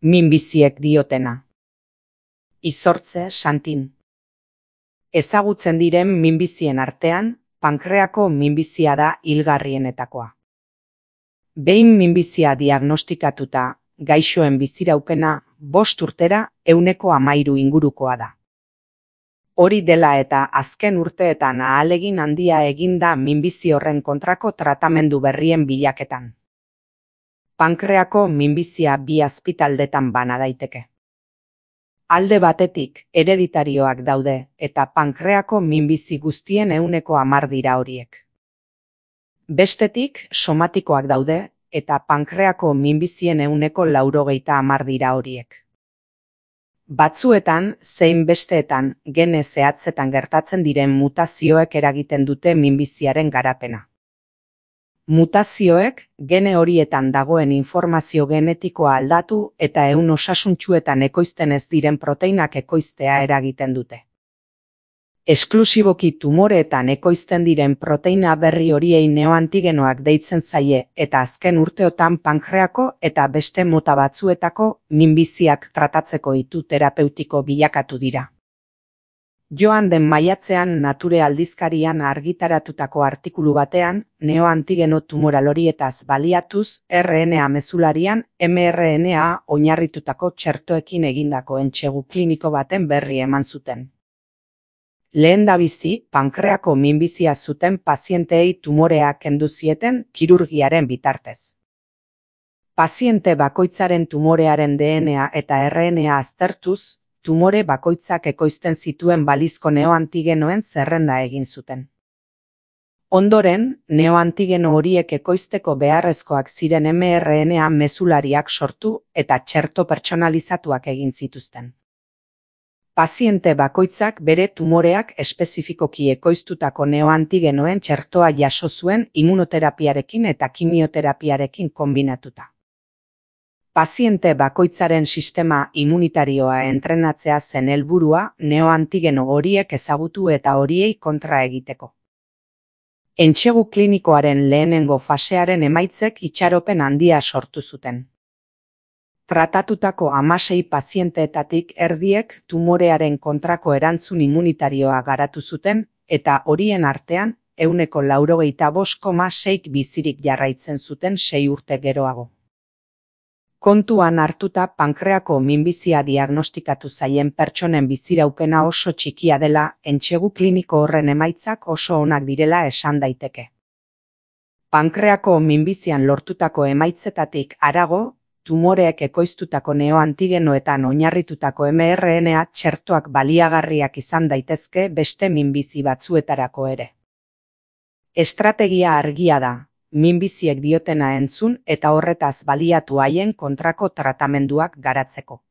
Minbiziek diotena. Izortze Santin. Ezagutzen diren minbizien artean, pankreako minbizia da hilgarrienetakoa. Behin minbizia diagnostikatuta, gaixoen biziraupena 5 urtera 13% ingurukoa da. Hori dela eta azken urteetan ahalegin handia egin da minbizi horren kontrako tratamendu berrien bilaketan. Pankreako minbizia 2 azpitaldetan bana daiteke. Alde batetik, hereditarioak daude eta pankreako minbizi guztien 10% dira horiek. Bestetik, somatikoak daude eta pankreako minbizien 80% dira horiek. Batzuetan, zein besteetan, gene zehatzetan gertatzen diren mutazioek eragiten dute minbiziaren garapena. Mutazioek, gene horietan dagoen informazio genetikoa aldatu eta ehun osasuntsuetan ekoizten ez diren proteinak ekoiztea eragiten dute. Esklusiboki tumoreetan ekoizten diren proteina berri horiei neoantigenoak deitzen zaie eta azken urteotan pankreako eta beste mota batzuetako minbiziak tratatzeko itu terapeutiko bilakatu dira. Joan den maiatzean Nature aldizkarian argitaratutako artikulu batean, neoantigeno tumoral horietaz baliatuz RNA mezularian mRNA oinarritutako txertoekin egindako entsegu kliniko baten berri eman zuten. Lehendabizi, pankreako minbizia zuten pazienteei tumorea kendu zieten kirurgiaren bitartez. Paziente bakoitzaren tumorearen DNA eta RNA aztertuz, tumore bakoitzak ekoizten zituen balizko neoantigenoen zerrenda egin zuten. Ondoren, neoantigeno horiek ekoizteko beharrezkoak ziren mRNA mezulariak sortu eta txerto pertsonalizatuak egin zituzten. Paziente bakoitzak bere tumoreak espezifikoki ekoiztutako neoantigenoen txertoa jaso zuen immunoterapiarekin eta kimioterapiarekin konbinatuta. Paziente bakoitzaren sistema immunitarioa entrenatzea zen helburua neoantigeno horiek ezagutu eta horiei kontra egiteko. Entsegu klinikoaren lehenengo fasearen emaitzek itxaropen handia sortu zuten. Tratatutako 16 pazienteetatik erdiek tumorearen kontrako erantzun immunitarioa garatu zuten eta horien artean 95,6% bizirik jarraitzen zuten 6 urte geroago. Kontuan hartuta pankreako minbizia diagnostikatu zaien pertsonen biziraupena oso txikia dela, entsegu kliniko horren emaitzak oso onak direla esan daiteke. Pankreako minbizian lortutako emaitzetatik harago, tumoreek ekoiztutako neoantigenoetan oinarritutako mRNA txertoak baliagarriak izan daitezke beste minbizi batzuetarako ere. Estrategia argia da. Minbiziek diotena entzun eta horretaz baliatu haien kontrako tratamenduak garatzeko.